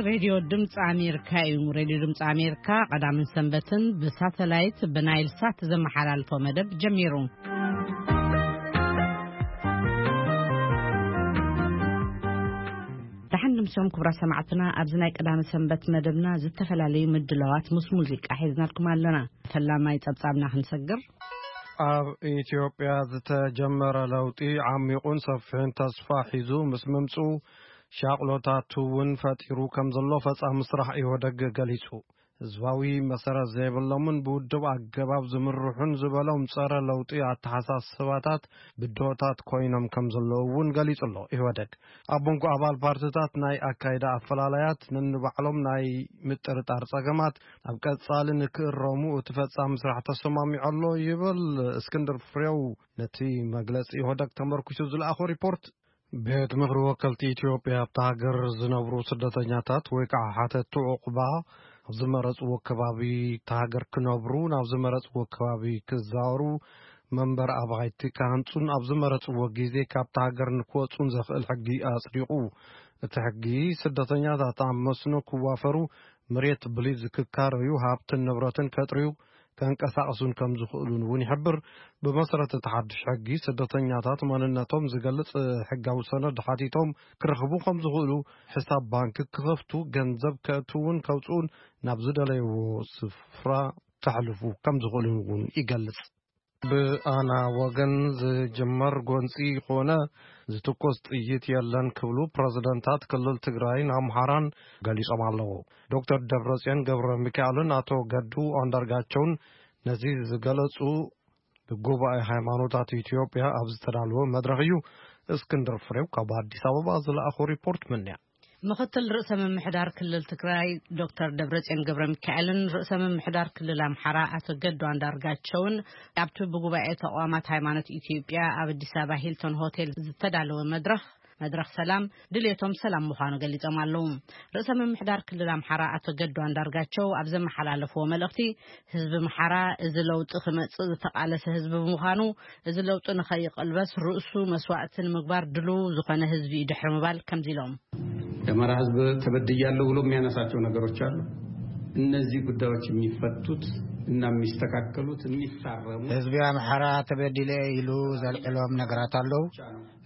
ሬድዮ ድምፂ ኣሜሪካ እዩ። ሬድዮ ድምፂ ኣሜሪካ ቀዳምን ሰንበትን ብሳተላይት ብናይል ሳት ዘመሓላልፎ መደብ ጀሚሩ። ደሓን ድምሶም ክቡራት ሰማዕትና፣ ኣብዚ ናይ ቀዳመ ሰንበት መደብና ዝተፈላለዩ ምድላዋት ምስ ሙዚቃ ሒዝናልኩም ኣለና። ፈላማይ ጸብጻብና ክንሰግር። ኣብ ኢትዮጵያ ዝተጀመረ ለውጢ ዓሚቑን ሰፊሕን ተስፋ ሒዙ ምስ ምምጽኡ፣ ሻቕሎታት እውን ፈጢሩ ከም ዘሎ ፈጻሚ ስራሕ ኢህወደግ ገሊጹ። ህዝባዊ መሰረት ዘይብሎምን ብውድብ ኣገባብ ዝምርሑን ዝበሎም ጸረ ለውጢ ኣተሓሳስባታት ብድሆታት ኮይኖም ከም ዘለዉ እውን ገሊጹ ኣሎ። ኢህወደግ ኣብ መንጎ ኣባል ፓርትታት ናይ ኣካይዳ ኣፈላላያት፣ ነንባዕሎም ናይ ምጥርጣር ጸገማት፣ ኣብ ቀጻሊ ንክእረሙ እቲ ፈጻሚ ስራሕ ተሰማሚዑ ኣሎ ይብል እስክንድር ፍሬው። ነቲ መግለጺ ኢህወደግ ተመርኩሱ ዝለኣኾ ሪፖርት። ቤት ምኽሪ ወከልቲ ኢትዮጵያ ኣብታ ሃገር ዝነብሩ ስደተኛታት ወይ ከዓ ሓተቱ ዑቕባ ኣብ ዝመረፅዎ ከባቢ እታ ሃገር ክነብሩ፣ ናብ ዝመረፅዎ ከባቢ ክዛወሩ፣ መንበር ኣባይቲ ክሃንፁን ኣብ ዝመረፅዎ ግዜ ካብታ ሃገር ንክወፁን ዘኽእል ሕጊ ኣፅዲቑ። እቲ ሕጊ ስደተኛታት ኣብ መስኖ ክዋፈሩ፣ መሬት ብሊዝ ክካረዩ፣ ሃብትን ንብረትን ከጥርዩ፣ ከንቀሳቕሱን ከም ዝኽእሉን እውን ይሕብር። ብመሰረት እቲ ሓድሽ ሕጊ፣ ስደተኛታት መንነቶም ዝገልጽ ሕጋዊ ሰነድ ሓቲቶም ክረኽቡ ከም ዝኽእሉ፣ ሕሳብ ባንክ ክኸፍቱ፣ ገንዘብ ከእትውን ከውጽኡን ናብ ዝደለይዎ ስፍራ ከሕልፉ ከም ዝኽእሉን እውን ይገልጽ። ብኣና ወገን ዝጅመር ጎንጺ ኾነ ዝትኮስ ጥይት የለን ክብሉ ፕረዚደንታት ክልል ትግራይን ኣምሓራን ገሊጾም ኣለዉ። ዶክተር ደብረጽዮን ገብረ ሚካኤልን ኣቶ ገዱ ኣንዳርጋቸውን ነዚ ዝገለጹ፣ ብጉባኤ ሃይማኖታት ኢትዮጵያ ኣብ ዝተዳለወ መድረኽ እዩ። እስክንድር ፍሬው ካብ ኣዲስ ኣበባ ዝለኣኾ ሪፖርት ምንያ። ምኽትል ርእሰ ምምሕዳር ክልል ትግራይ ዶክተር ደብረጽዮን ገብረ ሚካኤልን ርእሰ ምምሕዳር ክልል ኣምሓራ ኣቶ ገዱ ኣንዳርጋቸውን ኣብቲ ብጉባኤ ተቋማት ሃይማኖት ኢትዮጵያ ኣብ ኣዲስ ኣበባ ሂልቶን ሆቴል ዝተዳለወ መድረኽ፣ መድረኽ ሰላም፣ ድሌቶም ሰላም ምዃኑ ገሊጾም ኣለዉ። ርእሰ ምምሕዳር ክልል ኣምሓራ ኣቶ ገዱ ኣንዳርጋቸው ኣብ ዘመሓላለፍዎ መልእኽቲ፣ ህዝቢ ኣምሓራ እዚ ለውጢ ክመጽእ ዝተቓለሰ ህዝቢ ብምዃኑ፣ እዚ ለውጢ ንኸይቕልበስ ርእሱ መስዋእቲ ንምግባር ድሉው ዝኾነ ህዝቢ እዩ ድሕሪ ምባል ከምዚ ኢሎም። የአማራ ህዝብ ተበድያለሁ ብሎ የሚያነሳቸው ነገሮች አሉ። እነዚህ ጉዳዮች የሚፈቱት እና የሚስተካከሉት፣ የሚታረሙ ህዝቢ ኣምሓራ ተበዲለ ኢሉ ዘልዕሎም ነገራት ኣለዉ።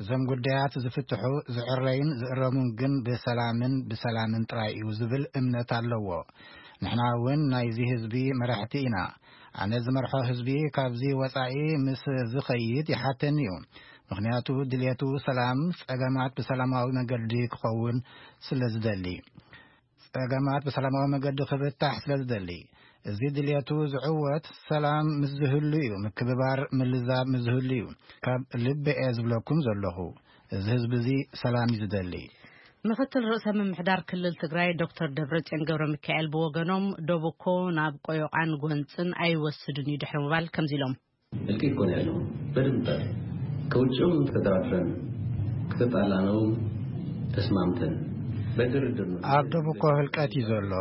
እዞም ጉዳያት ዝፍትሑ፣ ዝዕረዩን ዝእረሙን ግን ብሰላምን ብሰላምን ጥራይ እዩ ዝብል እምነት ኣለዎ። ንሕና እውን ናይዚ ህዝቢ መራሕቲ ኢና። ኣነ ዝመርሖ ህዝቢ ካብዚ ወጻኢ ምስ ዝኸይድ ይሓተኒ እዩ። ምኽንያቱ ድልየቱ ሰላም፣ ጸገማት ብሰላማዊ መገዲ ክኸውን ስለ ዝደሊ። ጸገማት ብሰላማዊ መገዲ ክብታሕ ስለ ዝደሊ። እዚ ድልየቱ ዝዕወት ሰላም ምስ ዝህሉ እዩ፣ ምክብባር፣ ምልዛብ ምስ ዝህሉ እዩ። ካብ ልቢ እየ ዝብለኩም ዘለኹ፣ እዚ ህዝቢ እዚ ሰላም እዩ ዝደሊ። ምኽትል ርእሰ ምምሕዳር ክልል ትግራይ ዶክተር ደብረጽዮን ገብረ ሚካኤል ብወገኖም፣ ዶብ እኮ ናብ ቆዮቃን ጎንጽን ኣይወስድን እዩ ድሕሪ ምባል ከምዚ ኢሎም። እልቂት እኮ ነው ያለው። በድንበር ከውጭም ተደራድረን ከተጣላነውም ተስማምተን በድርድር ነው። ኣብ ዶብ እኮ ህልቀት እዩ ዘሎ።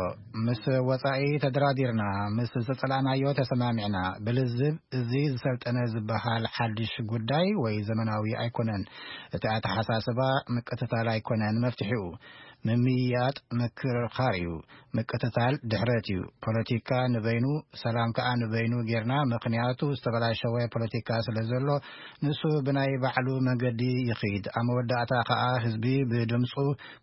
ምስ ወጻኢ ተደራዲርና፣ ምስ ዝጸላእናዮ ተሰማሚዕና። ብልዝብ እዚ ዝሰልጠነ ዝበሃል ሓድሽ ጉዳይ ወይ ዘመናዊ ኣይኮነን። እቲ ኣተሓሳስባ ምቅትታል ኣይኮነን መፍትሒኡ። ምምይያጥ ምክርኻር እዩ። ምቅትታል ድሕረት እዩ። ፖለቲካ ንበይኑ፣ ሰላም ከኣ ንበይኑ ጌርና፣ ምኽንያቱ ዝተበላሸወ ፖለቲካ ስለ ዘሎ፣ ንሱ ብናይ ባዕሉ መገዲ ይኺድ። ኣብ መወዳእታ ከኣ ህዝቢ ብድምጹ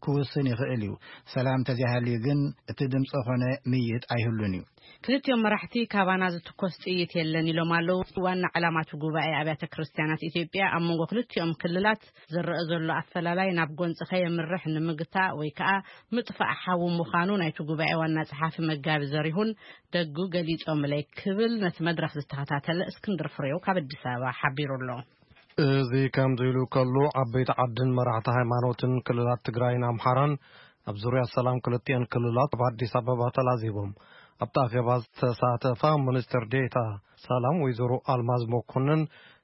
ክውስን ይኽእል እዩ። ሰላም ተዘይሃልዩ ግን እቲ ድምጺ ኾነ ምይይጥ ኣይህሉን እዩ። ክልቲኦም መራሕቲ ካባና ዝትኮስ ጥይት የለን ኢሎም ኣለዉ። ዋና ዕላማ እቲ ጉባኤ ኣብያተ ክርስቲያናት ኢትዮጵያ ኣብ መንጎ ክልቲኦም ክልላት ዝረአ ዘሎ ኣፈላላይ ናብ ጎንጺ ከየምርሕ ንምግታእ ወይ ከኣ ምጥፋእ ሓዊ ምዃኑ ናይቲ ጉባኤ ዋና ጸሓፊ መጋቢ ዘሪሁን ደጉ ገሊጾምለይ ክብል ነቲ መድረኽ ዝተኸታተለ እስክንድር ፍሬው ካብ ኣዲስ ኣበባ ሓቢሩ ኣሎ። እዚ ከምዚ ኢሉ ከሎ፣ ዓበይቲ ዓድን መራሕቲ ሃይማኖትን ክልላት ትግራይን ኣምሓራን ኣብ ዙርያ ሰላም ክልቲአን ክልላት ኣብ ኣዲስ ኣበባ ተላዚቦም። ኣብቲ ኣኼባ ዝተሳተፋ ሚኒስትር ዴኤታ ሰላም ወይዘሮ ኣልማዝ መኮንን፣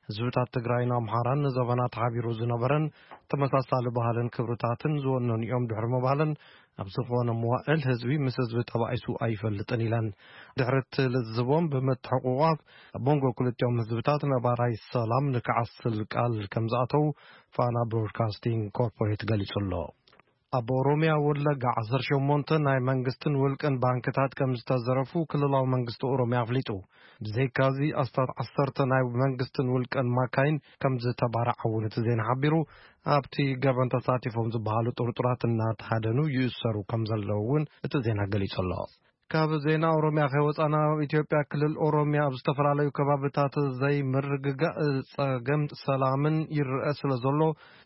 ህዝብታት ትግራይን ኣምሓራን ንዘበናት ሓቢሩ ዝነበረን ተመሳሳሊ ባህልን ክብርታትን ዝወነኑ እዮም ድሕሪ ምባለን፣ ኣብ ዝኾነ መዋእል ህዝቢ ምስ ህዝቢ ተባኢሱ ኣይፈልጥን ኢለን። ድሕሪ እቲ ልዝቦም ብምትሕቑቋፍ ኣብ መንጎ ክልቲኦም ህዝብታት ነባራይ ሰላም ንክዓስል ቃል ከም ዝኣተው ፋና ብሮድካስቲንግ ኮርፖሬት ገሊጹ ኣሎ። ኣብ ኦሮምያ ወለጋ ዓሰርተ ሸሞንተ ናይ መንግስትን ውልቅን ባንክታት ከም ዝተዘረፉ ክልላዊ መንግስቲ ኦሮምያ ኣፍሊጡ። ብዘይካዚ ኣስታት ዓሰርተ ናይ መንግስትን ውልቅን ማካይን ከም ዝተባረዓ እውን እቲ ዜና ሓቢሩ። ኣብቲ ገበን ተሳቲፎም ዝበሃሉ ጥርጡራት እናተሃደኑ ይእሰሩ ከም ዘለዉ እውን እቲ ዜና ገሊጹ ኣሎ። ካብ ዜና ኦሮምያ ከይወጻና፣ ኣብ ኢትዮጵያ ክልል ኦሮምያ ኣብ ዝተፈላለዩ ከባብታት ዘይምርግጋእ ጸገም ሰላምን ይረአ ስለ ዘሎ፣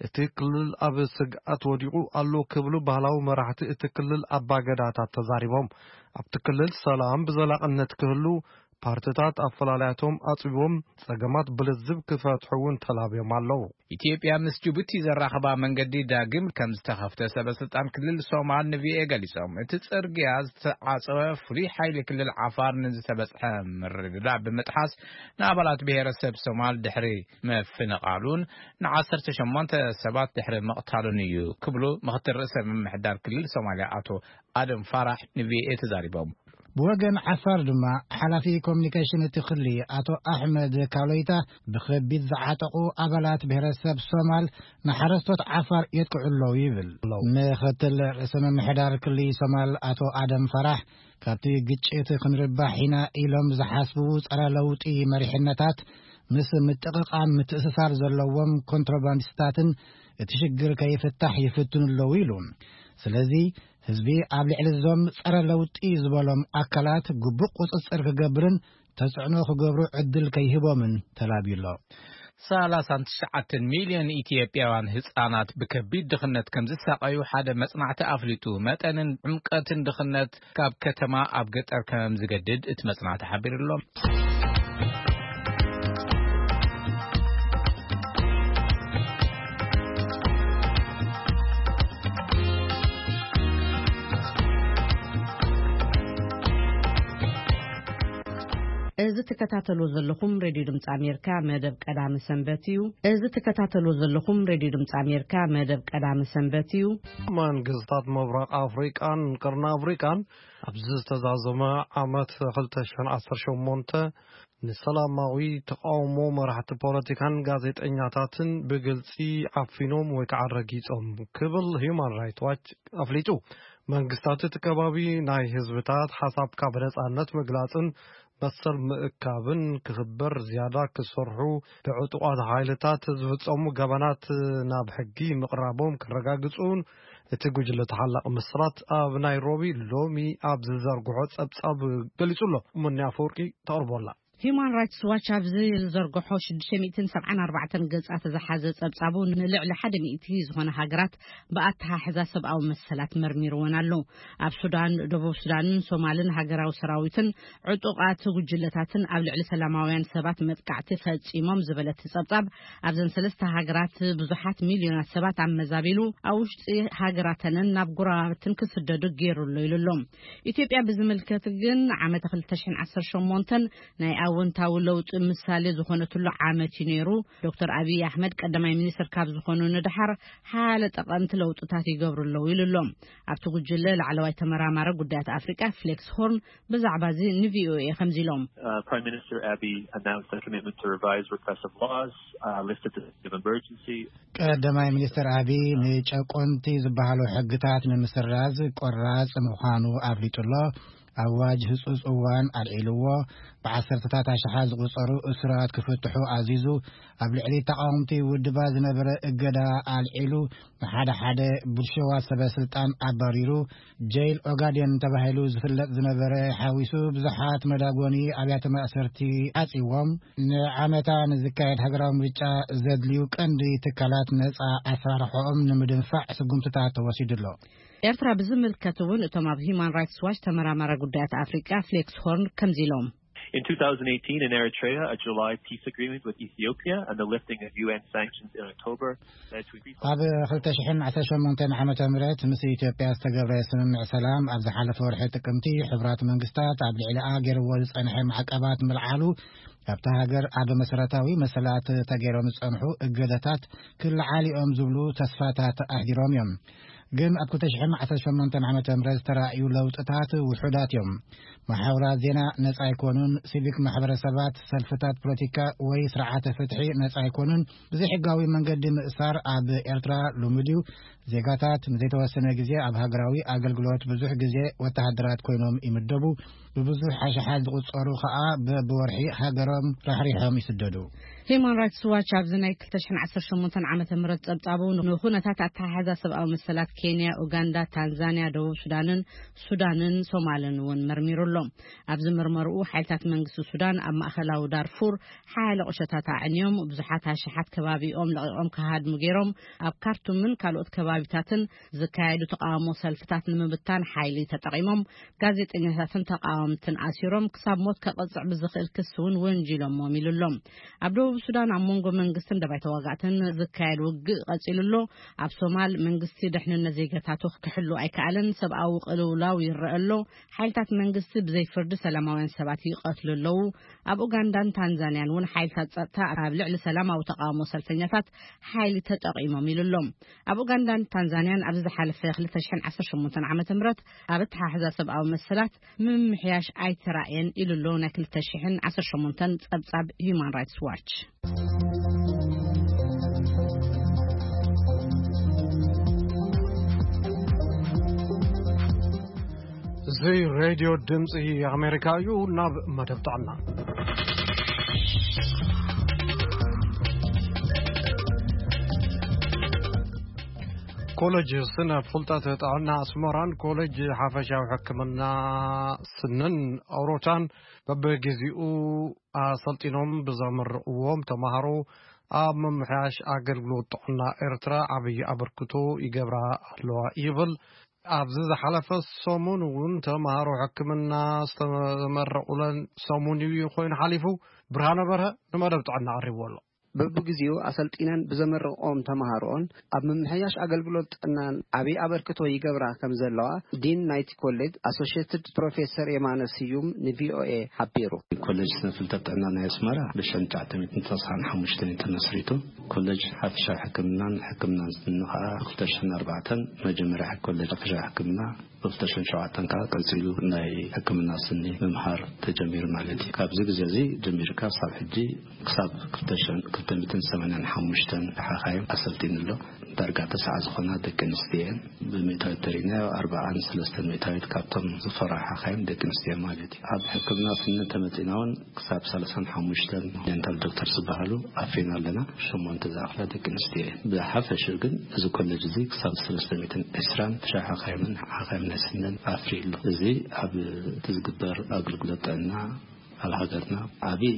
እቲ ክልል ኣብ ስግኣት ወዲቑ ኣሎ ክብሉ ባህላዊ መራሕቲ እቲ ክልል ኣባገዳታት ተዛሪቦም። ኣብቲ ክልል ሰላም ብዘላቕነት ክህሉ፣ ፓርትታት ኣፈላላያቶም ኣጽቢቦም ጸገማት ብልዝብ ክፈትሑ እውን ተላብዮም ኣለዉ። ኢትዮጵያ ምስ ጅቡቲ ዘራኽባ መንገዲ ዳግም ከም ዝተኸፍተ ሰበ ስልጣን ክልል ሶማል ንቪኦኤ ገሊጾም። እቲ ጽርግያ ዝተዓጸወ ፍሉይ ሓይሊ ክልል ዓፋር ንዝተበጽሐ ምርድዳእ ብምጥሓስ ንኣባላት ብሔረሰብ ሶማል ድሕሪ ምፍንቓሉን ንዓሰርተ ሸሞንተ ሰባት ድሕሪ ምቕታሉን እዩ ክብሉ ምኽትል ርእሰ ምምሕዳር ክልል ሶማልያ ኣቶ ኣደም ፋራሕ ንቪኦኤ ተዛሪቦም። ብወገን ዓፋር ድማ ሓላፊ ኮሚኒኬሽን እቲ ክሊ ኣቶ ኣሕመድ ካሎይታ ብኸቢድ ዝዓጠቑ ኣባላት ብሔረሰብ ሶማል ንሓረስቶት ዓፋር የጥቅዑ ኣለዉ ይብል። ምኽትል ርእሰ ምምሕዳር ክሊ ሶማል ኣቶ ኣደም ፈራሕ ካብቲ ግጭት ክንርባሕ ኢና ኢሎም ዝሓስቡ ጸረ ለውጢ መሪሕነታት ምስ ምጥቕቓም ምትእስሳር ዘለዎም ኮንትሮባንዲስታትን እቲ ሽግር ከይፍታሕ ይፍትኑ ኣለዉ ኢሉ። ስለዚ ህዝቢ ኣብ ልዕሊ እዞም ጸረ ለውጢ ዝበሎም ኣካላት ግቡእ ቁጽጽር ክገብርን ተጽዕኖ ክገብሩ ዕድል ከይህቦምን ተላብዩ ኣሎ። ሰላሳን ትሽዓተን ሚልዮን ኢትዮጵያውያን ህጻናት ብከቢድ ድኽነት ከም ዝሳቐዩ ሓደ መጽናዕቲ ኣፍሊጡ። መጠንን ዕምቀትን ድኽነት ካብ ከተማ ኣብ ገጠር ከም ዝገድድ እቲ መጽናዕቲ ሓቢሩ ኣሎ። እዚ ትከታተልዎ ዘለኹም ሬድዮ ድምፂ ኣሜሪካ መደብ ቀዳሚ ሰንበት እዩ። እዚ ትከታተልዎ ዘለኹም ሬድዮ ድምፂ ኣሜሪካ መደብ ቀዳሚ ሰንበት እዩ። መንግስታት ምብራቕ ኣፍሪቃን ቅርኒ ኣፍሪቃን ኣብዚ ዝተዛዘመ ዓመት ክልተ ሽሕን ዓሰርተ ሸሞንተ ንሰላማዊ ተቃውሞ መራሕቲ ፖለቲካን ጋዜጠኛታትን ብግልጺ ዓፊኖም ወይ ከዓ ረጊጾም ክብል ሂዩማን ራይት ዋች ኣፍሊጡ። መንግስታት እቲ ከባቢ ናይ ህዝብታት ሓሳብካ ብነጻነት ምግላጽን መሰል ምእካብን ክኽበር ዝያዳ ክሰርሑ፣ ብዕጡቓት ሓይልታት ዝፍጸሙ ገበናት ናብ ሕጊ ምቕራቦም ክረጋግጹን እቲ ጉጅለ ተሓላቒ ምስራት ኣብ ናይሮቢ ሎሚ ኣብ ዝዘርግሖ ጸብጻብ ገሊጹ ኣሎ። ሙኒ ኣፈወርቂ ተቕርቦ ኣላ። ሂዩማን ራይትስ ዋች ኣብዚ ዝዘርግሖ ሽዱሽተ ሚእትን ሰብዓን ኣርባዕተን ገጻት ዝሓዘ ጸብጻቡ ንልዕሊ ሓደ ሚእቲ ዝኾነ ሃገራት ብኣተሓሕዛ ሰብኣዊ መሰላት መርሚርወን ኣሎ። ኣብ ሱዳን፣ ደቡብ ሱዳንን ሶማልን ሃገራዊ ሰራዊትን ዕጡቓት ጉጅለታትን ኣብ ልዕሊ ሰላማውያን ሰባት መጥቃዕቲ ፈጺሞም ዝበለ እቲ ጸብጻብ ኣብዘን ሰለስተ ሃገራት ብዙሓት ሚልዮናት ሰባት ኣመዛቢሉ ኣብ ውሽጢ ሃገራተንን ናብ ጎረባብትን ክስደዱ ገይሩ ኣሎ ኢሉ ኣሎ። ኢትዮጵያ ብዝምልከት ግን ዓመተ ክልተ ሽሕን ዓሰርተ ሸሞንተን ናይ ኣወንታዊ ለውጢ ምሳሌ ዝኾነትሉ ዓመት እዩ ነይሩ። ዶክተር ኣብይ ኣሕመድ ቀዳማይ ሚኒስትር ካብ ዝኾኑ ንድሓር ሓያለ ጠቐምቲ ለውጥታት ይገብሩ ኣለዉ ኢሉ ኣሎ። ኣብቲ ጉጅለ ላዕለዋይ ተመራማሪ ጉዳያት ኣፍሪቃ ፍሌክስ ሆርን ብዛዕባ እዚ ንቪኦኤ ከምዚ ኢሎም። Uh, Prime Minister Abiy announced a commitment to revise repressive laws, uh, lifted the state of emergency. ቀዳማይ ሚኒስትር ኣቢይ ንጨቆንቲ ዝበሃሉ ሕግታት ንምስራዝ ቆራጽ ምዃኑ ኣፍሊጡ ኣሎ። ኣዋጅ ህጹጽ እዋን ኣልዒልዎ፣ ብዓሰርተታት ኣሽሓት ዝቑጸሩ እሱራት ክፍትሑ ኣዚዙ፣ ኣብ ልዕሊ ተቓወምቲ ውድባት ዝነበረ እገዳ ኣልዒሉ፣ ንሓደ ሓደ ብልሽዋት ሰበ ስልጣን ኣባሪሩ፣ ጀይል ኦጋዴን ተባሂሉ ዝፍለጥ ዝነበረ ሓዊሱ ብዙሓት መዳጎኒ ኣብያተ ማእሰርቲ ዓጺዎም፣ ንዓመታ ንዝካየድ ሃገራዊ ምርጫ ዘድልዩ ቀንዲ ትካላት ነጻ ኣሰራርሖኦም ንምድንፋዕ ስጉምትታት ተወሲዱ ኣሎ። ኤርትራ ብዝምልከት እውን እቶም ኣብ ሂዩማን ራይትስ ዋች ተመራማሪ ጉዳያት ኣፍሪቃ ፍሌክስ ሆርን ከምዚ ኢሎም። In two thousand eighteen in Eritrea, a July peace agreement with Ethiopia and the lifting of U N sanctions in October led to a ceasefire. ኣብ ክልተ ሽሕን ዓሰርተ ሸሞንተን ዓመተ ምህረት ምስ ኢትዮጵያ ዝተገብረ ስምምዕ ሰላም ኣብ ዝሓለፈ ወርሒ ጥቅምቲ ሕቡራት መንግስታት ኣብ ልዕሊኣ ገይርዎ ዝጸንሐ ማዕቀባት ምልዓሉ ኣብታ ሃገር ኣብ መሰረታዊ መሰላት ተገይሮም ዝጸንሑ እገዳታት ክልዓሉ እዮም ዝብሉ ተስፋታት ኣሕዲሮም እዮም። ግን ኣብ ክልተ ሽሕን ዓሰርተ ሸሞንተን ዓመተ ምህረት ዝተራእዩ ለውጥታት ውሑዳት እዮም። መሓውራት ዜና ነጻ ኣይኮኑን። ሲቪክ ማሕበረሰባት፣ ሰልፍታት ፖለቲካ ወይ ስርዓተ ፍትሒ ነጻ ኣይኮኑን። ብዘይሕጋዊ መንገዲ ምእሳር ኣብ ኤርትራ ልሙድ እዩ። ዜጋታት ንዘይተወሰነ ግዜ ኣብ ሃገራዊ ኣገልግሎት ብዙሕ ግዜ ወተሃደራት ኮይኖም ይምደቡ። ብብዙሕ ኣሽሓት ዝቑጸሩ ከኣ በብወርሒ ሃገሮም ራሕሪሖም ይስደዱ። ሂማን ራይትስ ዋች ኣብዚ ናይ ክልተ ሽሕን ዓሰርተ ሸሞንተን ዓመተ ምህረት ጸብጻቡ ንኹነታት ኣተሓሕዛ ሰብኣዊ መሰላት ኬንያ፣ ኡጋንዳ፣ ታንዛንያ፣ ደቡብ ሱዳንን ሱዳንን ሶማልን እውን መርሚሩ ኣሎ። ኣብዚ መርመርኡ ሓይልታት መንግስቲ ሱዳን ኣብ ማእከላዊ ዳርፉር ሓያለ ቁሸታት ኣዕንዮም ብዙሓት ኣሽሓት ከባቢኦም ለቒቖም ክሃድሙ ገይሮም። ኣብ ካርቱምን ካልኦት ከባቢታትን ዝካየዱ ተቃውሞ ሰልፍታት ንምብታን ሓይሊ ተጠቒሞም። ጋዜጠኛታትን ተቃወምትን ኣሲሮም ክሳብ ሞት ከቐጽዕ ብዝኽእል ክሲ እውን ወንጂሎሞም ኢሉ ኣሎ። ኣብ ደቡብ ሱዳን ኣብ መንጎ መንግስትን ደባይ ተዋጋእትን ዝካየድ ውግእ ቀጺሉ ኣሎ። ኣብ ሶማል መንግስቲ ድሕንነት ዜጋታቱ ክሕሉ ኣይከኣለን። ሰብኣዊ ቅልውላው ይረአ ኣሎ። ሓይልታት መንግስቲ ብዘይ ፍርዲ ሰላማውያን ሰባት ይቐትሉ ኣለዉ። ኣብ ኡጋንዳን ታንዛንያን እውን ሓይልታት ጸጥታ ኣብ ልዕሊ ሰላማዊ ተቃውሞ ሰልፈኛታት ሓይሊ ተጠቒሞም ኢሉ ኣሎ። ኣብ ኡጋንዳን ታንዛንያን ኣብዚ ዝሓለፈ ክልተ ሽሕን ዓሰርተ ሸሞንተን ዓመተ ምህረት ኣብ ኣተሓሕዛ ሰብኣዊ መሰላት ምምሕያሽ ኣይተራእየን ኢሉ ኣሎ ናይ ክልተ ሽሕን ዓሰርተ ሸሞንተን ጸብጻብ ሂዩማን ራይትስ ዋች። እዚ ሬድዮ ድምፂ ኣሜሪካ እዩ። ናብ መደብ ጥዕና። ኮሌጅ ስነ ፍልጠት ጥዕና ኣስመራን ኮሌጅ ሓፈሻዊ ሕክምና ስንን ኣውሮታን በብግዚኡ ኣሰልጢኖም ብዘመረቕዎም ተምሃሮ ኣብ ምምሕያሽ ኣገልግሎት ጥዕና ኤርትራ ዓብዪ ኣበርክቶ ይገብራ ኣለዋ ይብል። ኣብዚ ዝሓለፈ ሰሙን እውን ተምሃሮ ሕክምና ዝተመረቑለን ሰሙን እዩ ኮይኑ ሓሊፉ። ብርሃነ በርሀ ንመደብ ጥዕና ኣቕሪብዎ ኣሎ። በብግዚኡ ኣሰልጢነን ብዘመረቕኦም ተምሃሮኦን ኣብ ምምሕያሽ ኣገልግሎት ጥዕናን ዓብዪ ኣበርክቶ ይገብራ ከም ዘለዋ ዲን ናይቲ ኮሌጅ ኣሶሽየትድ ፕሮፌሰር የማነ ስዩም ንቪኦኤ ሓቢሩ። ኮሌጅ ስነ ፍልጠት ጥዕና ናይ ኣስመራ ብሽሕን ትሽዓተ ሚእትን ተስዓን ሓሙሽተን እዩ ተመስሪቱ። ኮሌጅ ሓፈሻዊ ሕክምናን ሕክምናን ስኒ ከዓ ክልተ ሽሕን ኣርባዕተን መጀመርያ ኮሌጅ ሓፈሻዊ ሕክምና፣ ብክልተ ሽሕን ሸውዓተን ከዓ ቀፂሉ ናይ ሕክምና ስኒ ምምሃር ተጀሚሩ ማለት እዩ። ካብዚ ግዜ እዚ ጀሚርካ ክሳብ ሕጂ ክሳብ ክልተ ሽሕን ክልተ ሚእትን ሰማንያን ሓሙሽተን ሓኻይም ኣሰልጢኑ ኣሎ። ዳርጋ ተስዓ ዝኾና ደቂ ኣንስትዮ እየን። ብሚእታዊት ተሪእናዮ ኣርብዓን ሰለስተን ሚእታዊት ካብቶም ዝፈርሑ ሓኻይም ደቂ ኣንስትዮ ማለት እዩ። ኣብ ሕክምና ስኒ እንተመፂና እውን ክሳብ ሰላሳን ሓሙሽተን ዴንታል ዶክተር ዝበሃሉ ኣፍሪና ኣለና። ሸሞንተ ዝኣኽላ ደቂ ኣንስትዮ እየን። ብሓፈሽኡ ግን እዚ ኮሌጅ እዚ ክሳብ ሰለስተ ሚእትን ዕስራን ሓኻይምን ሓኻይም ናይ ስንን ኣፍርዩ ኣሎ። እዚ ኣብ እቲ ዝግበር ኣገልግሎት ጥዕና ኣብ ሃገርና ዓብዪ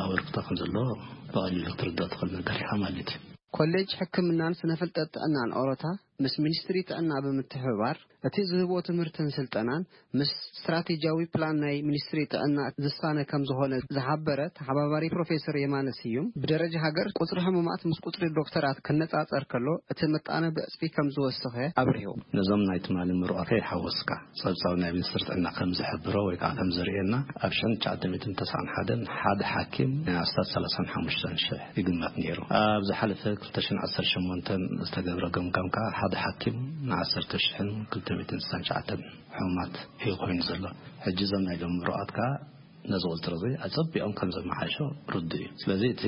ኣበርክቶ ከም ዘለዎ ብቐሊሉ ክትርዳእ ትኽእል ነገር ኢኻ ማለት እዩ። ኮሌጅ ሕክምናን ስነ ፍልጠት ጥዕናን ኦሮታ ምስ ሚኒስትሪ ጥዕና ብምትሕብባር እቲ ዝህቦ ትምህርትን ስልጠናን ምስ ስትራቴጂያዊ ፕላን ናይ ሚኒስትሪ ጥዕና ዝሳነ ከም ዝኾነ ዝሓበረ ተሓባባሪ ፕሮፌሰር የማነ ስዩም፣ ብደረጃ ሃገር ቁጽሪ ሕሙማት ምስ ቁጽሪ ዶክተራት ክነጻጸር ከሎ እቲ ምጣነ ብዕጽፊ ከም ዝወሰኸ ኣብሪሁ። ነዞም ናይ ትማሊ ምሩቓት ከይሓወስካ፣ ጸብጻብ ናይ ሚኒስትሪ ጥዕና ከም ዝሕብሮ ወይ ከዓ ከም ዘርእየና፣ ኣብ ሽሕን ትሽዓተ ሚእትን ተስዓን ሓደን ሓደ ሓኪም ናይ ኣስታት ሰላሳን ሓሙሽተን ሽሕ ይግመት ነይሩ። ኣብ ዝሓለፈ ክልተ ሽሕን ዓሰርተ ሸሞንተን ዝተገብረ ገምጋም ከዓ ሓደ ሓኪም ንዓሰርተ ሽሕን ክልተ ሚእትን ስሳን ትሽዓተን ሕሙማት እዩ ኮይኑ ዘሎ። ሕጂ እዞም ናይ ሎም ምሩቓት ከዓ ነዚ ቁፅሪ እዚ ኣፀቢቖም ከም ዘመሓይሾ ርዱእ እዩ። ስለዚ እቲ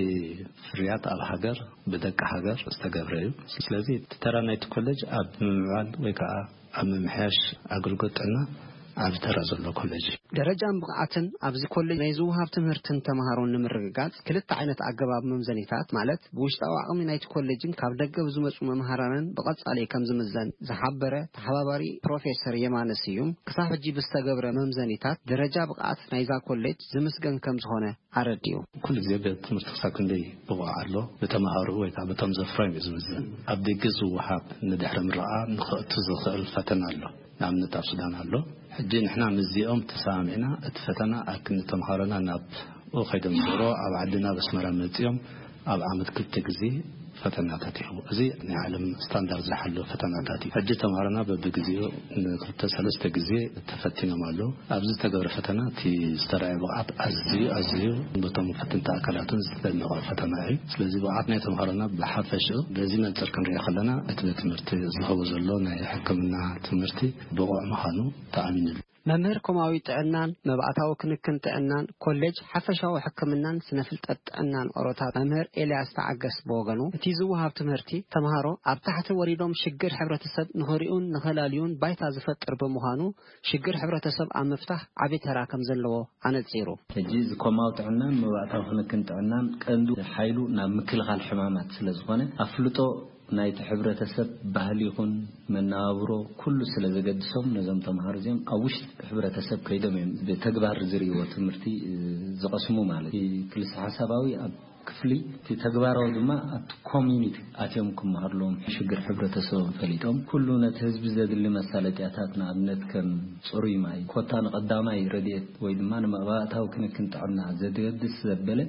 ፍርያት ኣብ ሃገር ብደቂ ሃገር ዝተገብረ እዩ። ስለዚ እቲ ተራ ናይቲ ኮሌጅ ኣብ ምምዕባል ወይ ከዓ ኣብ ምምሕያሽ ኣገልግሎት ጥዕና ዓቢ ተራ ዘለዎ ኮሌጅ እዩ። ደረጃን ብቕዓትን ኣብዚ ኮሌጅ ናይ ዝወሃብ ትምህርትን ተምሃሮን ንምርግጋጽ ክልተ ዓይነት ኣገባብ መምዘኒታት፣ ማለት ብውሽጣዊ ዓቕሚ ናይቲ ኮሌጅን ካብ ደገ ብዝመጹ መምሃራንን ብቐጻሊ ከም ዝምዘን ዝሓበረ ተሓባባሪ ፕሮፌሰር የማነ ስዩም፣ ክሳብ ሕጂ ብዝተገብረ መምዘኒታት ደረጃ ብቕዓት ናይዛ ኮሌጅ ዝምስገን ከም ዝኾነ ኣረዲኡ። ኩሉ ግዜ ቤት ትምህርቲ ክሳብ ክንደይ ብቑዕ ኣሎ፣ ብተምሃሮ ወይ ከዓ በቶም ዘፍረዮም እዩ ዝምዘን። ኣብ ደገ ዝወሃብ ንድሕሪ ምረቓ ንኸእቱ ዝኽእል ፈተና ኣሎ። ንኣብነት ኣብ ሱዳን ኣሎ። ሕጂ ንሕና ምስዚኦም ተሰማሚዕና እቲ ፈተና ኣብ ክንዲ ተምሃሮና ናብኡ ከይዶም ዝገብሮ ኣብ ዓድና ኣብ ኣስመራ መጺኦም ኣብ ዓመት ክልተ ግዜ ፈተናታት ይህቡ። እዚ ናይ ዓለም ስታንዳርድ ዝሓለወ ፈተናታት እዩ። ሕጂ ተምሃሮና በብግዜኡ ንክልተ ሰለስተ ግዜ ተፈቲኖም ኣለዉ። ኣብዚ ዝተገብረ ፈተና እቲ ዝተረኣየ ብቕዓት ኣዝዩ ኣዝዩ በቶም ፈተንቲ ኣካላትን ዝደነቐ ፈተና እዩ። ስለዚ ብቕዓት ናይ ተምሃሮና ብሓፈሽኡ በዚ መንፅር ክንሪኦ ከለና እቲ ቤት ትምህርቲ ዝህቦ ዘሎ ናይ ሕክምና ትምህርቲ ብቑዕ ምዃኑ ተኣሚንሉ። መምህር ኮማዊ ጥዕናን መባእታዊ ክንክን ጥዕናን ኮሌጅ ሓፈሻዊ ሕክምናን ስነ ፍልጠት ጥዕናን ኦሮታ መምህር ኤልያስ ተዓገስ ብወገኑ፣ እቲ ዝወሃብ ትምህርቲ ተምሃሮ ኣብ ታሕቲ ወሪዶም ሽግር ሕብረተሰብ ንኽሪኡን ንኸላልዩን ባይታ ዝፈጥር ብምዃኑ፣ ሽግር ሕብረተሰብ ኣብ ምፍታሕ ዓቢ ተራ ከም ዘለዎ ኣነጺሩ። ሕጂ እዚ ኮማዊ ጥዕናን መባእታዊ ክንክን ጥዕናን ቀንዱ ሓይሉ ናብ ምክልኻል ሕማማት ስለ ዝኾነ፣ ኣፍልጦ ናይቲ ሕብረተሰብ ባህሊ ይኹን መነባብሮ ኩሉ ስለ ዘገድሶም፣ ነዞም ተምሃሮ እዚኦም ኣብ ውሽጢ ሕብረተሰብ ከይዶም እዮም ብተግባር ዝርእይዎ ትምህርቲ፣ እ፣ ዝቐስሙ ማለት እዩ። ክልሰ ሓሳባዊ ኣብ ክፍሊ እቲ ተግባራዊ ድማ ኣብቲ ኮሚኒቲ ኣትዮም ክመሃርሎም ሽግር ሕብረተሰቦም ፈሊጦም ኩሉ ነቲ ህዝቢ ዘድሊ መሳለጥያታት ንኣብነት ከም ጽሩይ ማይ፣ ኮታ ንቐዳማይ ረድኤት ወይ ድማ ንመባእታዊ ክንክን ጥዕና ዘድገድስ ዘበለ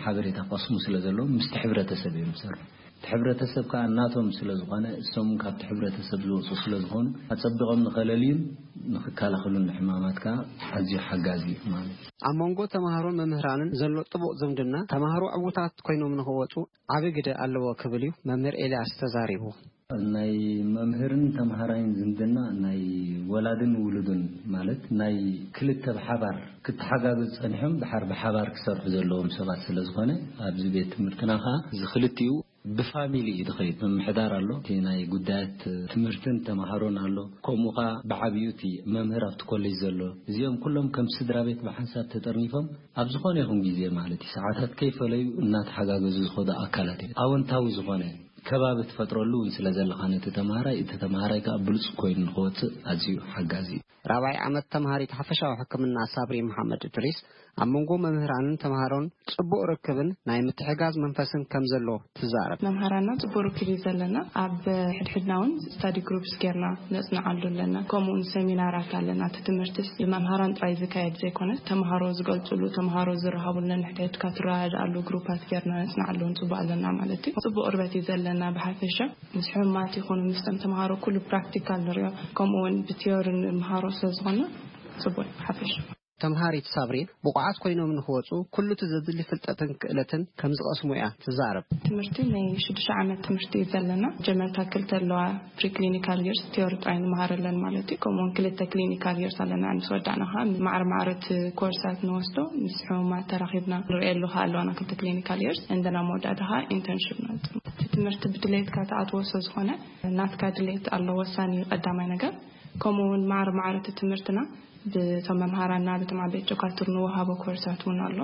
ሓበሬታ ቀስሙ ስለ ዘለዎም ምስቲ ሕብረተሰብ እዮም ዝሰርሑ። እቲ ሕብረተሰብ ከኣ እናቶም ስለ ዝኾነ እሶም ካብቲ ሕብረተሰብ ዝወፁ ስለ ዝኾኑ ኣጸቢቖም ንኸለልዩን ንኽከላኸሉን ንሕማማት ከኣ ኣዝዩ ሓጋዚ እዩ ማለት እዩ። ኣብ መንጎ ተምሃሮን መምህራንን ዘሎ ጥቡቕ ዝምድና ተምሃሮ ዕዉታት ኮይኖም ንኽወፁ ዓቢ ግደ ኣለዎ ክብል እዩ መምህር ኤልያስ ተዛሪቡ። ናይ መምህርን ተምሃራይን ዝምድና ናይ ወላድን ውሉድን ማለት ናይ ክልተ ብሓባር ክተሓጋገዙ ጸኒሖም ድሓር ብሓባር ክሰርሑ ዘለዎም ሰባት ስለ ዝኾነ ኣብዚ ቤት ትምህርትና ከኣ እዚ ክልቲኡ ብፋሚሊ እዩ ዝኸይድ። ምምሕዳር ኣሎ፣ እቲ ናይ ጉዳያት ትምህርትን ተምሃሮን ኣሎ፣ ከምኡ ከኣ ብዓቢኡ እቲ መምህር ኣብቲ ኮሌጅ ዘሎ። እዚኦም ኩሎም ከም ስድራ ቤት ብሓንሳብ ተጠርኒፎም ኣብ ዝኾነ ይኹን ግዜ ማለት እዩ ሰዓታት ከይፈለዩ እናተሓጋገዙ ዝኸዱ ኣካላት እዮም። ኣወንታዊ ዝኾነ ከባቢ ትፈጥረሉ እውን ስለ ዘለኻ ነቲ ተምሃራይ፣ እቲ ተምሃራይ ከኣ ብሉጽ ኮይኑ ንኽወጽእ ኣዝዩ ሓጋዚ እዩ። ራብዓይ ዓመት ተምሃሪት ሓፈሻዊ ሕክምና ሳብሪ መሓመድ እድሪስ ኣብ መንጎ መምህራንን ተምሃሮን ጽቡቕ ርክብን ናይ ምትሕጋዝ መንፈስን ከም ዘሎ ትዛረብ። መምሃራንና ጽቡቕ ርክብ እዩ ዘለና። ኣብ ሕድሕድና እውን ስታዲ ግሩፕስ ጌርና ነጽንዓሉ ኣለና። ከምኡ እውን ሰሚናራት ኣለና። እቲ ትምህርትስ ብመምሃራን ጥራይ ዝካየድ ዘይኮነስ ተምሃሮ ዝገልጹሉ፣ ተምሃሮ ዝረሃቡሉ፣ ነንሕድሕድካ ትረዳድኣሉ ግሩፓት ጌርና ነጽንዓሉ እውን ጽቡቕ ኣለና ማለት እዩ። ጽቡቕ ቅርበት እዩ ዘለና ብሓፈሻ። ምስ ሕሙማት ይኹኑ ምስቶም ተምሃሮ ኩሉ ፕራክቲካል ንሪኦ፣ ከምኡ እውን ብቲዮሪ ንምሃሮ ስለ ዝኾነ ጽቡቕ እዩ ብሓፈሻ። ተምሃሪት ሳብሪን ብቑዓት ኮይኖም ንኽወጹ ኩሉ እቲ ዘድሊ ፍልጠትን ክእለትን ከም ዝቐስሙ እያ ትዛረብ። ትምህርቲ ናይ ሽዱሽተ ዓመት ትምህርቲ እዩ ዘለና። መጀመርታ ክልተ ኣለዋ፣ ፕሪክሊኒካል ይርስ ቲዮሪ ጥራይ ንመሃረለን ማለት እዩ። ከምኡውን ክልተ ክሊኒካል ይርስ ኣለና። ምስ ወዳእና ከዓ ማዕረ ማዕረ እቲ ኮርሳት ንወስዶ ምስ ሕሙማት ተራኺብና ንርእየሉ ከዓ ኣለዋና ክልተ ክሊኒካል ይርስ እንደና መወዳእታ ከዓ ኢንተርንሽፕ ንወፅእ። እቲ ትምህርቲ ብድሌትካ ትኣትዎ ስለ ዝኾነ ናትካ ድሌት ኣሎ ወሳኒ እዩ ቀዳማይ ነገር። ከምኡ እውን ማዕረ ማዕረ እቲ ትምህርትና ብቶም መምሃራና ብቶም ዓበይቲ ዶካትር ንወሃቦ ኮርሳት እውን ኣሎ።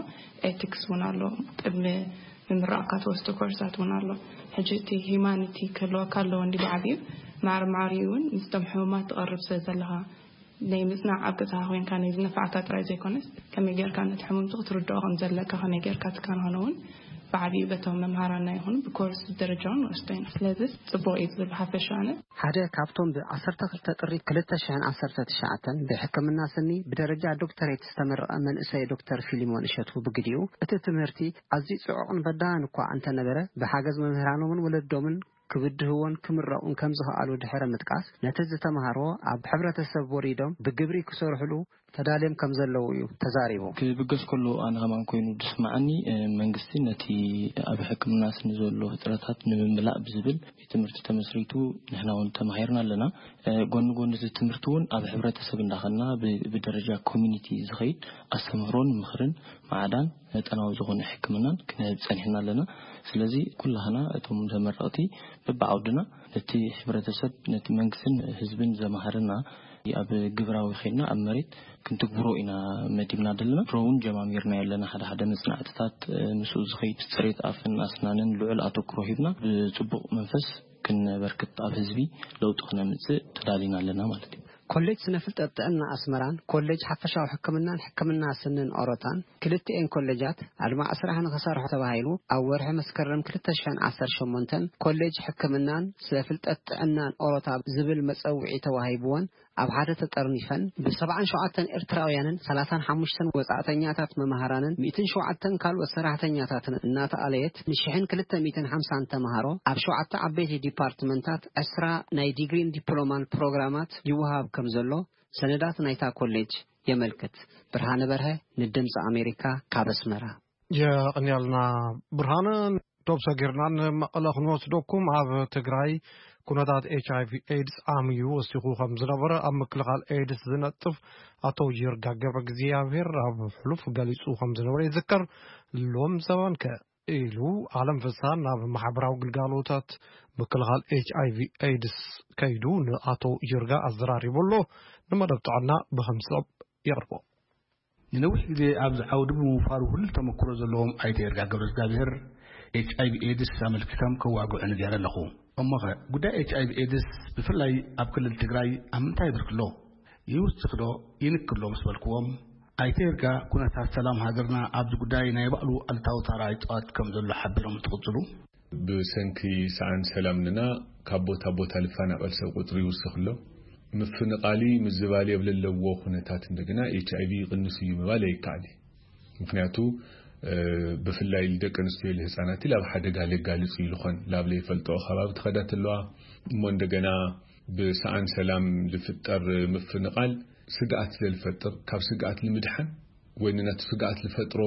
ኤቲክስ እውን ኣሎ። ቅድሚ ምምራቕካ ትወስዶ ኮርሳት እውን ኣሎ። ሕጂ እቲ ሂማኒቲ ክህልወካ ኣለዎ እንዲ ብዓብዩ ማዕረ ማዕሪኡ እውን ምስቶም ሕሙማት ትቐርብ ስለ ዘለኻ ናይ ምጽናዕ ኣብ ገዛኻ ኮይንካ ናይ ዝነፋዕካ ጥራይ ዘይኮነስ ከመይ ጌርካ ነቲ ሕሙምቲ ክትርድኦ ከም ዘለካ ከመይ ጌርካ ትከናኸኖ እውን ብዓብዩ በቶም መምሃራና ይኹን ብኮርስ ደረጃ እውን ንወስዶ ኢና። ስለዚ ጽቡቕ እዩ ዝብል ሓፈሻ ኣነ። ሓደ ካብቶም ብ ዓሰርተ ክልተ ጥሪ ክልተ ሽሕን ዓሰርተ ትሽዓተን ብሕክምና ስኒ ብደረጃ ዶክተሬት ዝተመረቐ መንእሰይ ዶክተር ፊሊሞን እሸቱ ብግዲኡ፣ እቲ ትምህርቲ ኣዝዩ ጽዑቕን በዳህን እኳ እንተነበረ፣ ብሓገዝ መምህራኖምን ወለዶምን ክብድህዎን ክምረቑን ከም ዝኸኣሉ ድሕሪ ምጥቃስ፣ ነቲ ዝተምሃርዎ ኣብ ሕብረተሰብ ወሪዶም ብግብሪ ክሰርሕሉ ተዳልዮም ከም ዘለዉ እዩ ተዛሪቡ። ክብገስ ከሎ ኣነ ከማን ኮይኑ ዝስምዓኒ፣ እ፣ መንግስቲ ነቲ ኣብ ሕክምና ስኒ ዘሎ ህጽረታት ንምምላእ ብዝብል ቤት ትምህርቲ ተመስሪቱ ንሕና እውን ተማሂርና ኣለና። እ፣ ጎኒ ጎኒ እዚ ትምህርቲ እውን ኣብ ሕብረተሰብ እንዳኸና ብ-፣ ብደረጃ ኮሚኒቲ ዝኸይድ ኣስተምህሮን ምኽርን ማዕዳን መጠናዊ ዝኾነ ሕክምናን ክንህብ ጸኒሕና ኣለና። ስለዚ ኩላህና እቶም ተመረቕቲ በብዓውድና ነቲ ሕብረተሰብ፣ ነቲ መንግስትን ህዝብን ዘማህርና ኣብ ግብራዊ ኸይድና ኣብ መሬት ክንትግብሮ ኢና መዲብና ዘለና። ድሮ እውን ጀማሚርና ኣለና። ሓደ ሓደ መጽናዕትታት፣ እ፣ ምስኡ ዝኸይድ ጽሬት ኣፍን ኣስናንን ልዑል ኣተኩሮ ሂብና ብጽቡቕ መንፈስ ክነበርክት ኣብ ህዝቢ ለውጢ ክነምጽእ ተዳሊና ኣለና ማለት እዩ። ኮሌጅ ስነ ፍልጠት ጥዕና ኣስመራን ኮሌጅ ሓፈሻዊ ሕክምናን ሕክምና ስንን ኦሮታን ክልቲኤን ኮሌጃት ኣድማዕ ስራሕ ንኽሰርሑ ተባሂሉ ኣብ ወርሒ መስከረም ክልተ ሽሕን ዓሰርተ ሸሞንተን ኮሌጅ ሕክምናን ስነ ፍልጠት ጥዕናን ኦሮታ ዝብል መጸውዒ ተዋሂብወን ኣብ ሓደ ተጠርኒፈን ብሰብዓን ሸውዓተን ኤርትራውያንን ሰላሳን ሓሙሽተን ወጻእተኛታት መምሃራንን ሚእትን ሸውዓተን ካልኦት ሰራሕተኛታትን እናተኣለየት ንሽሕን ክልተ ሚእትን ሓምሳን ተምሃሮ ኣብ ሸውዓተ ዓበይቲ ዲፓርትመንታት ዕስራ ናይ ዲግሪን ዲፕሎማን ፕሮግራማት ይወሃብ ከም ዘሎ ሰነዳት ናይታ ኮሌጅ የመልክት። ብርሃነ በርሀ ንድምፂ ኣሜሪካ ካብ ኣስመራ። የቐንያልና ብርሃነ። ዶብ ሰጊርና ንመቐለ ክንወስደኩም። ኣብ ትግራይ ኩነታት ኤች ኣይ ቪ ኤድስ ዓምዩ ወሲኹ ከም ዝነበረ ኣብ ምክልኻል ኤድስ ዝነጥፍ ኣቶ ይርጋ ገብረ እግዚኣብሔር ኣብ ሕሉፍ ገሊጹ ከም ዝነበረ ይዝከር። ሎም ዘበን ከ ኢሉ ኣለም ፍስሃ ናብ ማሕበራዊ ግልጋሎታት ምክልኻል ኤች ኣይ ቪ ኤድስ ከይዱ ንኣቶ ይርጋ ኣዘራሪቡ ኣሎ። ንመደብ ጥዕና ብኸምዚ የቕርቦ። ንነዊሕ ግዜ ኣብዚ ዓውዲ ብምውፋሩ ህሉል ተመክሮ ዘለዎም ኣይተ ይርጋ ገብረ እግዚኣብሔር ኤች ኣይ ቪ ኤድስ ኣመልኪቶም ከዋግዑ ንገይረ ኣለኹ። እሞኸ ጉዳይ ኤች ኣይ ቪ ኤድስ ብፍላይ ኣብ ክልል ትግራይ ኣብ ምንታይ ብርኪ ኣሎ? ይውስኽ ዶ ይንክሎ ምስ በልክዎም፣ ኣይተ ይርጋ ኩነታት ሰላም ሃገርና ኣብዚ ጉዳይ ናይ ባዕሉ ኣሉታዊ ተራ ይጻወት ከም ዘሎ ሓቢሮም እንትቕጽሉ፣ ብሰንኪ ሰኣን ሰላምና ካብ ቦታ ቦታ ልፈናቐል ሰብ ቁጽሪ ይውስኽ ኣሎ። ምፍንቓሊ ምዝባል የብለለዎ ኩነታት እንደገና ኤች ኣይ ቪ ይቕንስ እዩ ምባል ኣይከኣል እዩ። ምክንያቱ እ፣ ብፍላይ ልደቂ ኣንስትዮ ልህፃናት ላብ ሓደጋ ለጋልጽ እዩ ልኾን ላብ ለይፈልጦ ከባቢ ትኸዳ ተለዋ እሞ እንደገና ብሰኣን ሰላም ልፍጠር ምፍንቓል ስግኣት ስለልፈጥር ካብ ስግኣት ንምድሓን ወይ ንነቲ ስግኣት ልፈጥሮ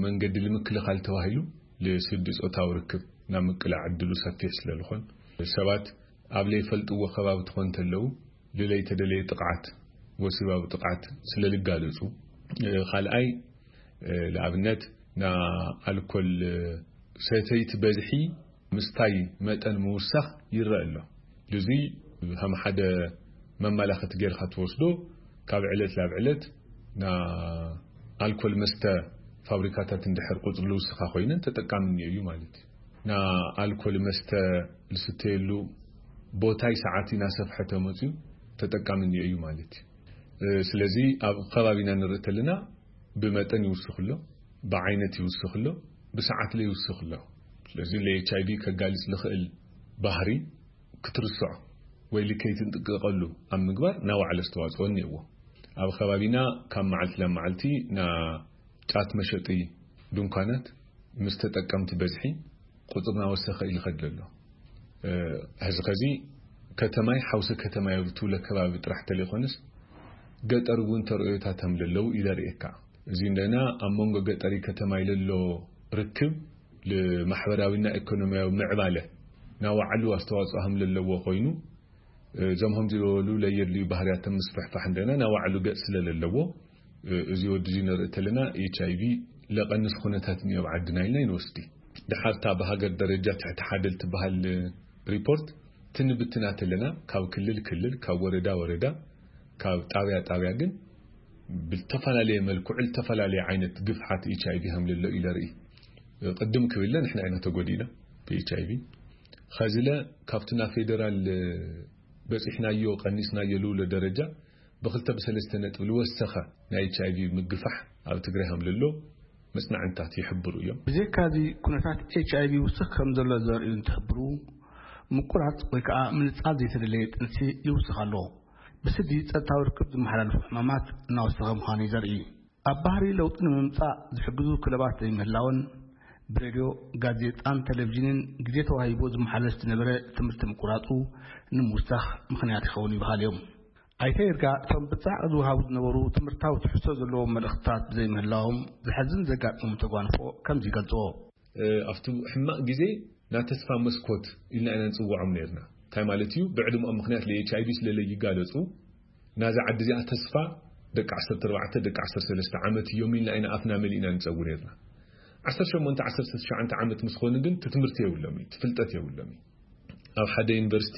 መንገዲ ልምክልኻል ተባሂሉ ልስዲ ጾታዊ ርክብ ናብ ምቅላዕ ዕድሉ ሰፊሕ ስለልኾን ሰባት ኣብ ለይፈልጥዎ ከባቢ ትኾን ተለዉ ልለይተደለየ ጥቕዓት ወሲባዊ ጥቕዓት ስለልጋለጹ። እ፣ ካልኣይ እ፣ ንኣብነት ና ኣልኮል እ፣ ሰተይቲ በዝሒ ምስታይ መጠን ምውሳኽ ይረአ ኣሎ። ልዙይ ከም ሓደ መመላኸቲ ጌርካ ትወስዶ ካብ ዕለት ናብ ዕለት ና ኣልኮል መስተ ፋብሪካታት እንድሕር ቁፅሪ ልውስኻ ኮይነን ተጠቃሚ እኒኦ እዩ ማለት እዩ። ና ኣልኮል መስተ ልስተየሉ ቦታይ ሰዓት እናሰፍሐ ተመፅዩ ተጠቃሚ እኒኦ እዩ ማለት እዩ። እ፣ ስለዚ ኣብ ከባቢና ንርኢ ተለና ብመጠን ይውስኽ ኣሎ፣ ብዓይነት ይውስኽ ኣሎ፣ ብሰዓት ለ ይውስኽ ኣሎ። ስለዚ ለ ኤች ኣይ ቪ ከጋልጽ ልኽእል ባህሪ ክትርስዖ ወይ ልከይትንጥቅቐሉ ኣብ ምግባር ናባዕሉ ኣስተዋጽኦ እኒአዎ። ኣብ ከባቢና ካብ መዓልቲ ናብ መዓልቲ ና ጫት መሸጢ ድንኳናት ምስ ተጠቀምቲ በዝሒ ቁጽሪ ናወሰኸ ኢሉ ኸድ ዘሎ። እ፣ ሕዚ ኸዚ ከተማይ ሓውሲ ከተማይ ኣብ ትብሎ ከባቢ ጥራሕ ተለይኮነስ ገጠር እውን ተርእዮታት ከም ለለዉ ኢለ ርእየካ። እዚ እንደና ኣብ መንጎ ገጠሪ ከተማይ ለሎ ርክብ ልማሕበራዊና ኢኮኖሚያዊ ምዕባለ ናባዕሉ ኣስተዋፅኦ ከም ለለዎ ኮይኑ፣ እዞም ከምዚ ዝበሉ ለየድልዩ ባህርያት ምስፍሕፋሕ እንደና ናባዕሉ ገፅ ስለ ለለዎ፣ እዚ ወዲ እዚ ንርኢ ተለና ኤች ኣይ ቪ ለቐንስ ኩነታት እኒኦ ኣብ ዓድና ኢልና ይንወስዲ። ድሓርታ ብሃገር ደረጃ ትሕቲ ሓደ ልትበሃል ሪፖርት ትንብትና ተለና ካብ ክልል ክልል፣ ካብ ወረዳ ወረዳ፣ ካብ ጣብያ ጣብያ ግን ብዝተፈላለየ መልክዑ ዝተፈላለየ ዓይነት ግፍዓት ኤች ኣይ ቪ ከም ለሎ ኢለ ርኢ። ቅድም ክብለ ንሕና ኢና ተጎዲእና ብ ኤች ኣይ ቪ። ኸዚ ለ ካብቲ ናብ ፌደራል በፂሕናዮ ቀኒስናዮ ልብሎ ደረጃ ብክልተ ብሰለስተ ነጥቢ ልወሰኸ ናይ ኤች ኣይ ቪ ምግፋሕ ኣብ ትግራይ ከም ለሎ መፅናዕንታት ይሕብሩ እዮም። ብዘይካዚ ኩነታት ኤች ኣይ ቪ ውስኽ ከም ዘሎ ዘርእዩ እንትሕብሩ፣ ምቁራፅ ወይ ከዓ ምንፃል ዘይተደለየ ጥንሲ ይውስኽ ኣሎ። ብስዲ ፀጥታዊ ርክብ ዝመሓላለፉ ሕማማት እናወሰኸ ምዃኑ እዩ ዘርኢ። ኣብ ባህሪ ለውጢ ንምምፃእ ዝሕግዙ ክለባት ዘይምህላውን ብሬድዮ፣ ጋዜጣን ቴሌቪዥንን ግዜ ተዋሂቡ ዝመሓለፍ ዝነበረ ትምህርቲ ምቁራፁ ንምውሳኽ ምኽንያት ይኸውን ይበሃል እዮም። ኣይተ ይርጋ እቶም ብፃዕቂ ዝወሃቡ ዝነበሩ ትምህርታዊ ትሕዝቶ ዘለዎም መልእኽትታት ብዘይምህላዎም ዘሐዝን ዘጋጠሙ ተጓንፎ ከምዚ ይገልፅዎ። እ፣ ኣብቲ ሕማቕ ግዜ ናይ ተስፋ መስኮት ኢልና ኢና ንፅውዖም ነርና። እንታይ ማለት እዩ? ብዕድመኦም ምኽንያት ለ ኤች ኣይ ቪ ስለ ለይጋለፁ ናዛ ዓዲ እዚኣ ተስፋ ደቂ ዓሰርተ ኣርባዕተ ደቂ ዓሰርተ ሰለስተ ዓመት እዮም ኢልና ኢና ኣፍና መሊእና ንፀዊ ነርና። ዓሰርተ ሸሞንተ ዓሰርተ ትሽዓተ ዓመት ምስ ኾኑ ግን እቲ ትምህርቲ የብሎም እዩ፣ እቲ ፍልጠት የብሎም እዩ። ኣብ ሓደ ዩኒቨርሲቲ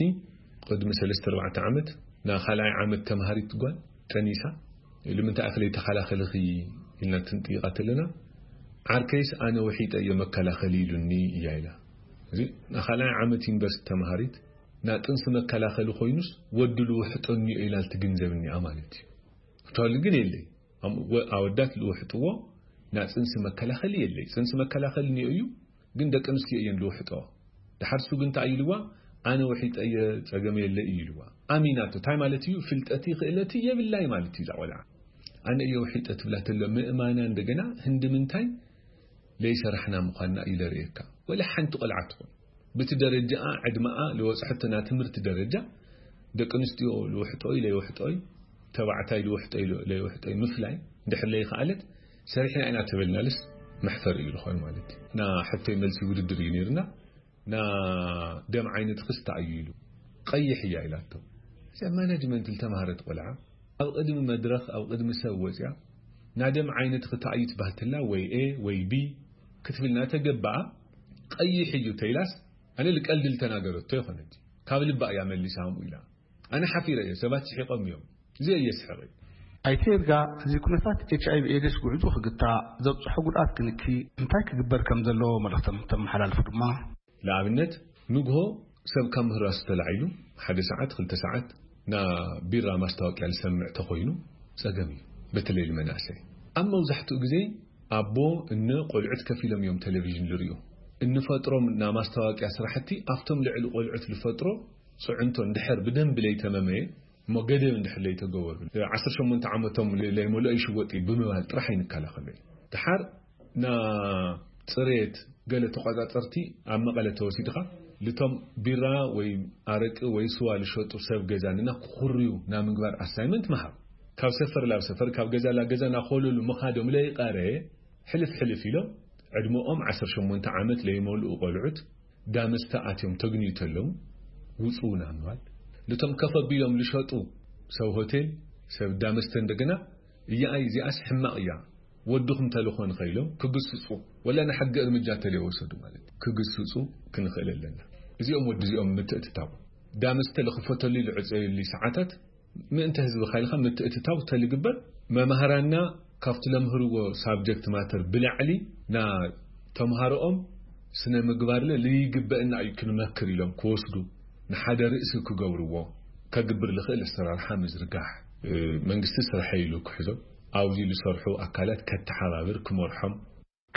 ቅድሚ ሰለስተ ኣርባዕተ ዓመት ናይ ካልኣይ ዓመት ተምሃሪት ጓል ጠኒሳ፣ "ንምንታይ ኢኺ ለይተኸላኸልኺ?" ኢልና ትንጥይቓ ተለና፣ "ዓርከይስ ኣነ ውሒጠ እየ መከላኸሊ ኢሉኒ" እያ ኢላ። እዚ ናይ ካልኣይ ዓመት ዩኒቨርሲቲ ተምሃሪት ናጥንሲ መከላኸሊ ኮይኑስ ወዲ ልውሕጦ እኒኦ ኢላ ልትግንዘብ እኒኣ ማለት እዩ። ክታሉ ግን የለይ። ኣም-፣ ወ-፣ ኣወዳት ልውሕጥዎ ናጽንሲ መከላኸሊ የለይ። ጽንሲ መከላኸሊ እኒኦ እዩ፣ ግን ደቂ ኣንስትዮ እየን ልውሕጦ። ድሓር ሱ ግን እንታይ ኢልዋ? ኣነ ውሒጠ እየ፣ ጸገም የለ እዩ ኢልዋ። ኣሚናቶ። እንታይ ማለት እዩ? ፍልጠቲ ክእለቲ የብላይ ማለት እዩ እዛ ቆልዓ። ኣነ እየ ውሒጠ ትብላ ተሎ ምእማና እንደገና ህንዲ ምንታይ ለይሰራሕና ምዃንና እዩ ለርእየካ። ወላ ሓንቲ ቆልዓ ትኹን ብቲ ደረጃኣ ዕድመኣ ልወጽሐቶ ናይ ትምህርቲ ደረጃ ደቂ ኣንስትዮ ልውሕጦይ ለይውሕጦይ፣ ተባዕታይ ልውሕጦይ ለይውሕጦይ ምፍላይ እንድሕር ለይኸኣለት፣ ሰሪሕና ኢና ተበልናልስ መሕፈር እዩ ልኾን ማለት እዩ። ና ሕቶይ መልሲ ውድድር እዩ ነይርና። ና ደም ዓይነትኽስ እንታይ እዩ ኢሉ። ቀይሕ እያ ኢላቶ። እዛ ማናጅመንት ልተማሃረት ቆልዓ ኣብ ቅድሚ መድረኽ ኣብ ቅድሚ ሰብ ወፅያ ና ደም ዓይነትኺ እንታይ እዩ ትባህትላ ወይ ኤ ወይ ቢ ክትብልና ተገባኣ። ቀይሕ እዩ ተይላስ ኣነ ልቀልዲ ልተናገረቶ ይኾነት ካብ ልባ እያ መሊሳ ከምኡ ኢላ። ኣነ ሓፊረ እየ፣ ሰባት ስሒቖም እዮም። እዚ እየ ስሕቕ። ኣይተ ይርጋ፣ እዚ ኩነታት ኤች ኣይ ቪ ኤድስ ጉዕዞ ክግታእ ዘብፅሖ ጉድኣት ክንኪ እንታይ ክግበር ከም ዘለዎ መልእኽቶም ተመሓላልፉ ድማ ንኣብነት ንግሆ ሰብ ካብ ምህራሱ ተላዒሉ ሓደ ሰዓት ክልተ ሰዓት ና ቢራ ማስታወቅያ ዝሰምዕ ተኮይኑ ጸገም እዩ። በተለይ ንመናእሰይ ኣብ መብዛሕትኡ ግዜ ኣቦ እነ ቆልዑት ከፊሎም እዮም ቴሌቪዥን ዝርእዩ። እንፈጥሮም ና ማስታወቅያ ስራሕቲ ኣብቶም ልዕሊ ቆልዑት ዝፈጥሮ ጽዕንቶ እንድሕር ብደንቢ ለይተመመየ እሞ ገደብ እንድሕር ለይተገበሩ ዓሰርተ ሸሞንተ ዓመቶም ለይመልኦ ይሽወጥ እዩ ብምባል ጥራሕ ኣይንከላኸሎ። ድሓር ና ጽሬት ገለ ተቋጻጸርቲ ኣብ መቐለ ተወሲድኻ ልቶም ቢራ ወይ ኣረቂ ወይ ስዋ ልሸጡ ሰብ ገዛ ንና ክኹርዩ ና ምግባር ኣሳይመንት ምሃብ። ካብ ሰፈር ላብ ሰፈር ካብ ገዛ ላብ ገዛ ናኾለሉ ምኻዶም ለይቐረ ሕልፍ ሕልፍ ኢሎም ዕድመኦም ዓሰርተ ሸሞንተ ዓመት ለይመልኡ ቆልዑት ዳመስተ ኣትዮም ተግንዩ ተለዉ ውፅኡ ና ምባል። ልቶም ከፍ ኣቢሎም ልሸጡ ሰብ ሆቴል ሰብ ዳመስተ እንደገና እያኣይ እዚኣስ ሕማቕ እያ ወድኹም ተልኾን ኸኢሎም ክግስጹ ወላ ንሓጊ እርምጃ ተለይወሰዱ ማለት ክግስጹ ክንኽእል ኣለና። እዚኦም ወዲ እዚኦም ምትእትታው ዳመስተ ልኽፈተሉ ልዕፀየሉ ሰዓታት ምእንተ ህዝቢ ኻይልኻ ምትእትታው ተልግበር መማህራና ካብቲ ለምህርዎ ሳብጀክት ማተር ብላዕሊ ና ተምሃሮኦም ስነ ምግባርለ ልይግበእና እዩ ክንመክር ኢሎም ክወስዱ ንሓደ ርእሲ ክገብርዎ ከግብር ልኽእል ኣሰራርሓ ምዝርጋሕ መንግስቲ ስርሐ ኢሉ ክሕዞም ኣብዚ ልሰርሑ ኣካላት ከተሓባብር ክመርሖም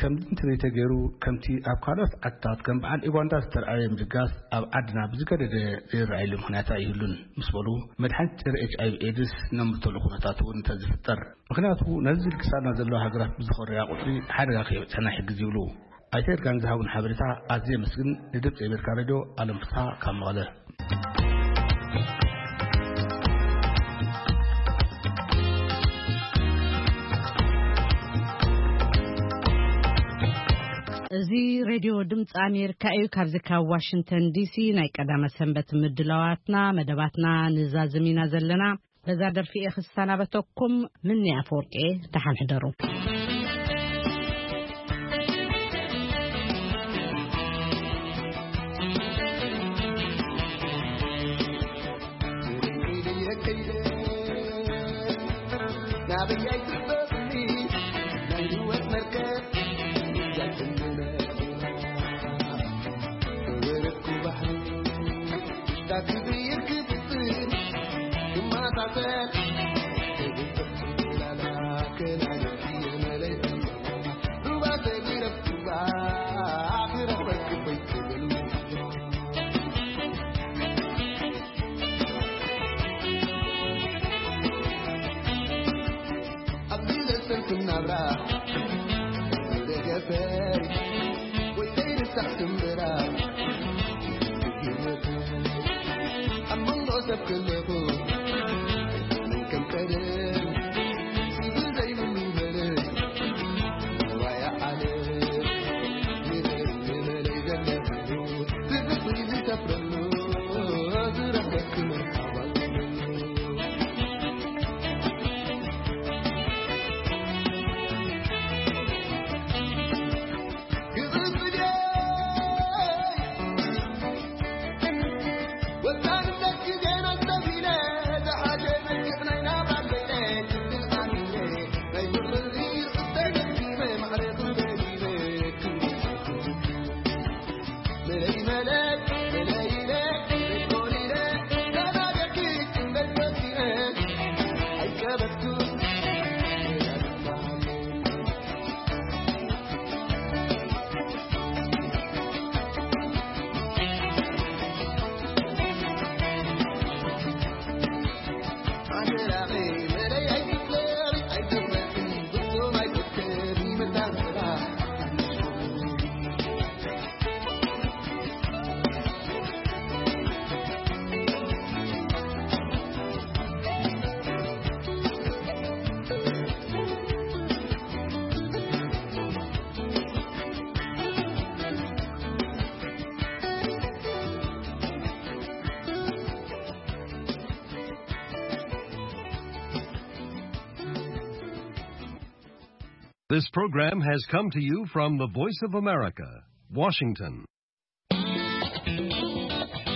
ከምዚ እንተዘይተገይሩ ከምቲ ኣብ ካልኦት ዓድታት ከም በዓል ኡጋንዳ ዝተርኣየ ምድጋፍ ኣብ ዓድና ብዝገደደ ዘይረኣየሉ ምኽንያት ኣይህሉን ምስ በሉ መድሓኒት ጸረ ኤች ኣይቪ ኤድስ ነምርተሉ ኩነታት እውን እንተዝፍጠር ምኽንያቱ ነዚ ዝልግሳና ዘለዋ ሃገራት ብዝኾርያ ቁፅሪ ሓደጋ ከየብፅሐና ይሕግዝ ይብሉ። ኣይተ ይርጋን ዝሃቡን ሓበሬታ ኣዝየ የመስግን። ንድምፂ ኣሜሪካ ሬድዮ ኣለም ፍስሃ ካብ መቐለ። እዚ ሬድዮ ድምፂ ኣሜሪካ እዩ። ካብዚ ካብ ዋሽንግተን ዲሲ ናይ ቀዳመ ሰንበት ምድላዋትና መደባትና ንዛዝም ኢና ዘለና። በዛ ደርፊ እየ ክሰናበተኩም። ምኒ ኣፈወርቂ እየ። ደሓን ሕደሩ። This program has come to you from the Voice of America, Washington.